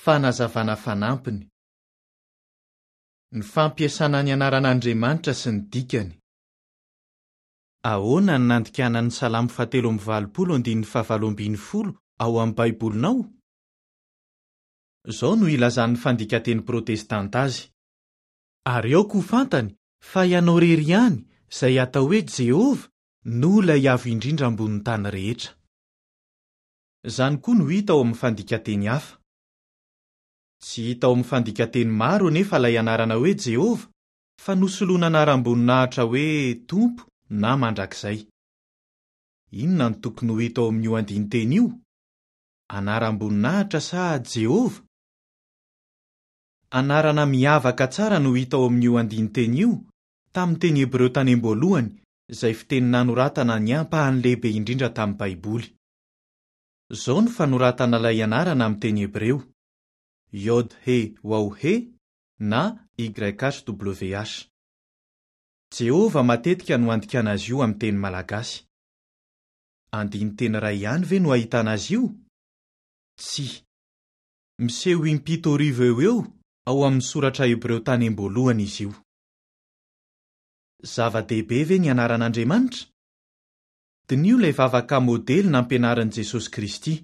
Fanazavana fanampiny. Ny fampiasana ny anaran'Andriamanitra sy ny dikany. Ahoana no nandikana ny Salamo fahatelo amby valopolo andininy fahavalo ambin'ny folo ao amin'ny Baibolinao? Izao no ilazan'ny fandikan-teny protestanta azy, Ary aoka ho fantany fa ianao irery ihany, izay atao hoe Jehovah, no ilay Avo Indrindra ambonin'ny tany rehetra. Izany koa no hita ao amin'ny fandikan-teny hafa. Tsy hita ao amin'ny fandikan-teny maro anefa ilay anarana hoe Jehovah, fa nosoloana anaram-boninahitra hoe Tompo na Mandrakizay. Inona no tokony ho hita ao amin'io andinin-teny io? Anaram-boninahitra sa Jehovah? Anarana miavaka tsara no hita ao amin'io andinin-teny io, tamin'ny teny hebreo tany am-boalohany, izay fiteny nanoratana ny ampahany lehibe indrindra tamin'ny Baiboly. Izao no fanoratana ilay anarana amin'ny teny hebreo, Yod-He-Waw-He na YHWH. Jehovah matetika no andikana azy io amin'ny teny malagasy. Andinin-teny iray ihany ve no ahitana azy io? Tsia. Miseho impito arivo eo ho eo ao amin'ny soratra hebreo tany am-boalohany izy io. Zava-dehibe ve ny anaran'Andriamanitra? Diniho ilay vavaka modely nampianarin'i Jesosy Kristy.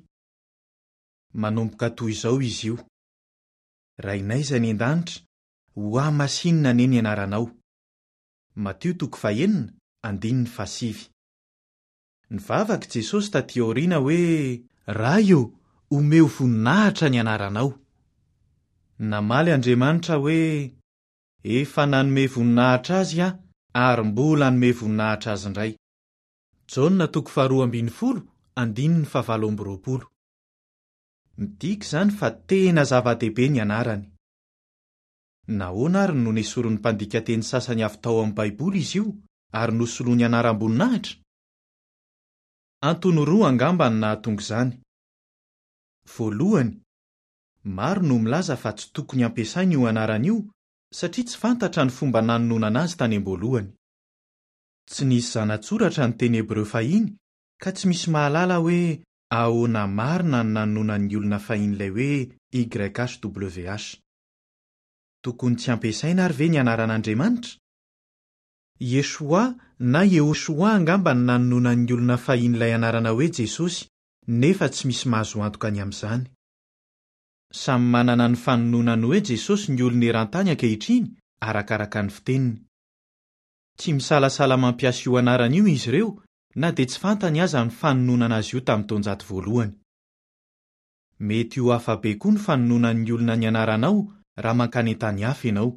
Manomboka toy izao izy io, Rainay izay any an-danitra, hohamasinina anie ny anaranao. Matio toko fahenina, andininy fahasivy. Nivavaka i Jesosy tatỳ aoriana hoe, Ray ô, omeo voninahitra ny anaranao. Namaly Andriamanitra hoe, Efa nanome voninahitra azy aho ary mbola hanome voninahitra azy indray. Jaona toko faharoa ambin'ny folo, andininy fahavalo amby roapolo. Midika izany fa tena zava-dehibe ny anarany. Nahoana àry no nesorin'ny mpandika teny sasany avy tao amin'ny Baiboly izy io ary nosoloany anaram-boninahitra? Antony roa angamba no nahatonga izany. Voalohany, maro no milaza fa tsy tokony hampiasaina io anarana io satria tsy fantatra ny fomba nanononana azy tany am-boalohany. Tsy nisy zana-tsoratra ny teny hebreo fahiny ka tsy misy mahalala hoe ahoana marina no nanononan'ny olona fahiny ilay hoe YHWH. Tokony tsy hampiasaina àry ve ny anaran'Andriamanitra? Yeshua na Yehoshoa angamba no nanononan'ny olona fahiny ilay anarana hoe Jesosy, nefa tsy misy mahazo antoka ny amin'izany. Samy manana ny fanononany hoe Jesosy ny olona eran-tany ankehitriny, arakaraka ny fiteniny. Tsy misalasala mampiasa io anarana io izy ireo, na dia tsy fantany aza ny fanononana azy io tamin'ny taonjato voalohany. Mety ho hafa be koa ny fanononan'ny olona ny anaranao raha mankany an-tany hafa ianao.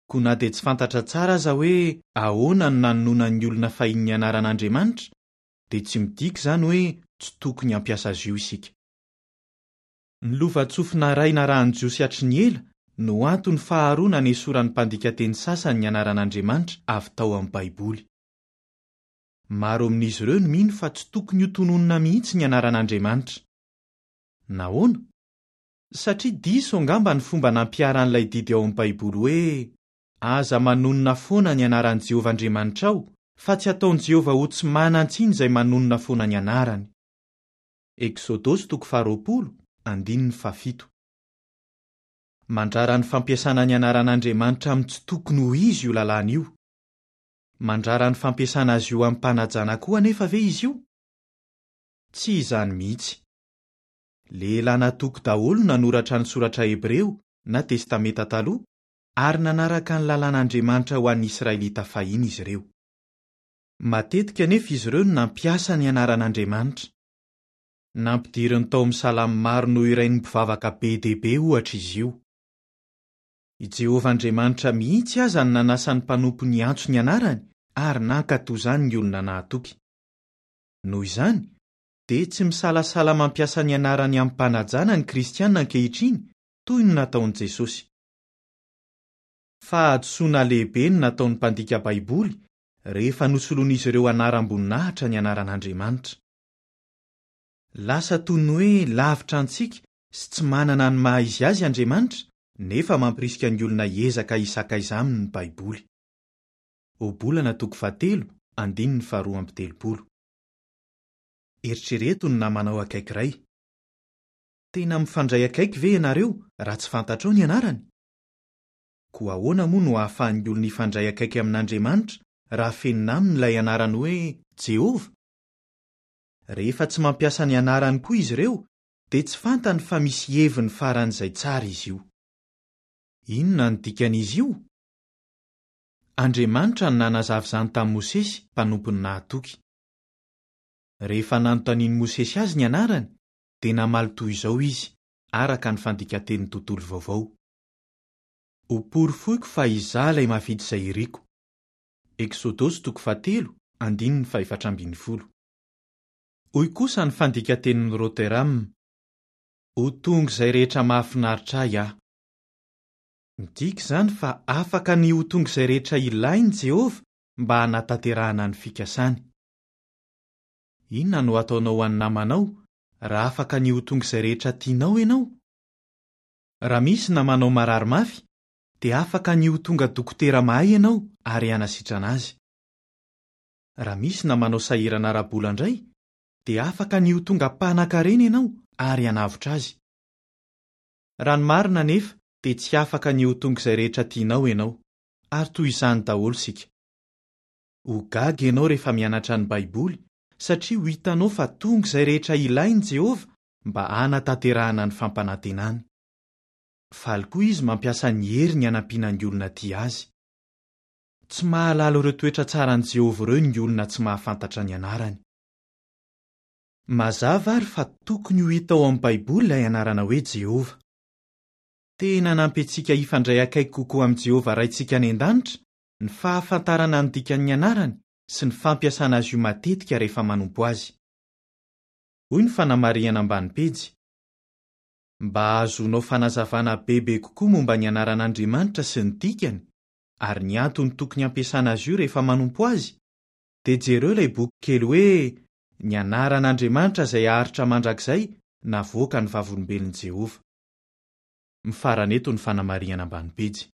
Koa na dia tsy fantatra tsara aza hoe ahoana no nanononan'ny olona fahiny ny anaran'Andriamanitra, dia tsy midika izany hoe tsy tokony hampiasa azy io isika. Ny lovantsofina iray narahin'ny Jiosy hatry ny ela no antony faharoa nanesoran'ny mpandika teny sasany ny anaran'Andriamanitra avy tao amin'ny Baiboly. Maro amin'izy ireo no mino fa tsy tokony hotononina mihitsy ny anaran'Andriamanitra. Nahoana? Satria diso angamba ny fomba nampiharan'ilay didy ao amin'ny Baiboly hoe, Aza manonona foana ny anaran'i Jehovah Andriamanitrao, fa tsy hataon'i Jehovah ho tsy manan-tsiny izay manonona foana ny anarany. Eksodosy toko faharoapolo, andininy fahafito. Mandrara ny fampiasana ny anaran'Andriamanitra amin'ny tsy tokony ho izy io lalàna io. Mandrara ny fampiasana azy io amim-panajana koa anefa ve izy io? Tsy izany mihitsy. Lehilahy natoky daholo no nanoratra ny Soratra Hebreo na Testamenta Taloha, ary nanaraka ny lalàn'Andriamanitra ho an'ny Israelita fahiny izy ireo. Matetika anefa izy ireo no nampiasa ny anaran'Andriamanitra. Nampidiriny tao amin'ny salamo maro nohirain'ny mpivavaka be dia be, ohatra, izy io. I Jehovah Andriamanitra mihitsy aza no nanasa ny mpanompony hiantso ny anarany, ary nankatò izany ny olona nahatoky. Noho izany, dia tsy misalasala mampiasa ny anarany amim-panajana ny Kristiana ankehitriny, toy ny nataon'i Jesosy. Fahadisoana lehibe no nataon'ny mpandika Baiboly rehefa nosoloan'izy ireo anaram-boninahitra ny anaran'Andriamanitra. Lasa toy ny hoe lavitra antsika sy tsy manana ny maha izy azy Andriamanitra, nefa mampirisika ny olona hiezaka hisakaiza aminy ny Baiboly. Ohabolana toko fahatelo, andininy faharoa amby telopolo. Eritrereto ny namanao akaiky iray. Tena mifandray akaiky ve ianareo raha tsy fantatrao ny anarany? Koa ahoana moa no ahafahan'ny olona hifandray akaiky amin'Andriamanitra raha afenina aminy ilay anarany hoe Jehovah? Rehefa tsy mampiasa ny anarany koa izy ireo, dia tsy fantany fa misy heviny faran'izay tsara izy io. Inona no dikan'izy io? Andriamanitra no nanazava izany tamin'i Mosesy, mpanompony nahatoky. Rehefa nanontanian'i Mosesy azy ny anarany, dia namaly toy izao izy, araka ny Fandikan-tenin'ny Tontolo Vaovao, Hoporofoiko fa Izaho ilay mahavita izay iriko. Eksodosy toko fahatelo, andininy fahefatra ambin'ny folo. Hoy kosa ny Fandikan-tenin'i Rotherham, Ho tonga izay rehetra mahafinaritra ahy aho. Midika izany fa afaka ny ho tonga izay rehetra ilainy Jehovah mba hanatanterahana ny fikasany. Inona no hataonao ho an'ny namanao raha afaka ny ho tonga izay rehetra tianao ianao? Raha misy namanao marary mafy, dia afaka ny ho tonga dokotera mahay ianao ary hanasitrana azy. Raha misy namanao sahirana ara-bola indray, dia afaka ny ho tonga mpanankarena ianao ary hanavotra azy. Raha ny marina anefa dia tsy afaka ny ho tonga izay rehetra tianao ianao, ary toy izany daholo isika. Ho gaga ianao rehefa mianatra ny Baiboly, satria ho hitanao fa tonga izay rehetra ilain'i Jehovah mba hanatanterahana ny fampanantenany. Faly koa izy mampiasa ny heriny hanampiana ny olona tia azy. Tsy mahalala ireo toetra tsaran'i Jehovah ireo ny olona tsy mahafantatra ny anarany. Mazava àry fa tokony ho hita ao amin'ny Baiboly ilay anarana hoe Jehovah. Tena hanampy antsika hifandray akaiky kokoa amin'i Jehovah Raintsika any an-danitra ny fahafantarana ny dikan'ny anarany sy ny fampiasana azy io matetika rehefa manompo azy. Hoy ny fanamarihana ambany pejy, Mba hahazoanao fanazavana bebe kokoa momba ny anaran'Andriamanitra sy ny dikany ary ny antony tokony hampiasana azy io rehefa manompo azy, dia jereo ilay bokikely hoe Ny Anaran'Andriamanitra Izay Haharitra Mandrakizay navoakan'ny Vavolombelon'i Jehovah. Mifarana eto ny fanamarihana ambany pejy.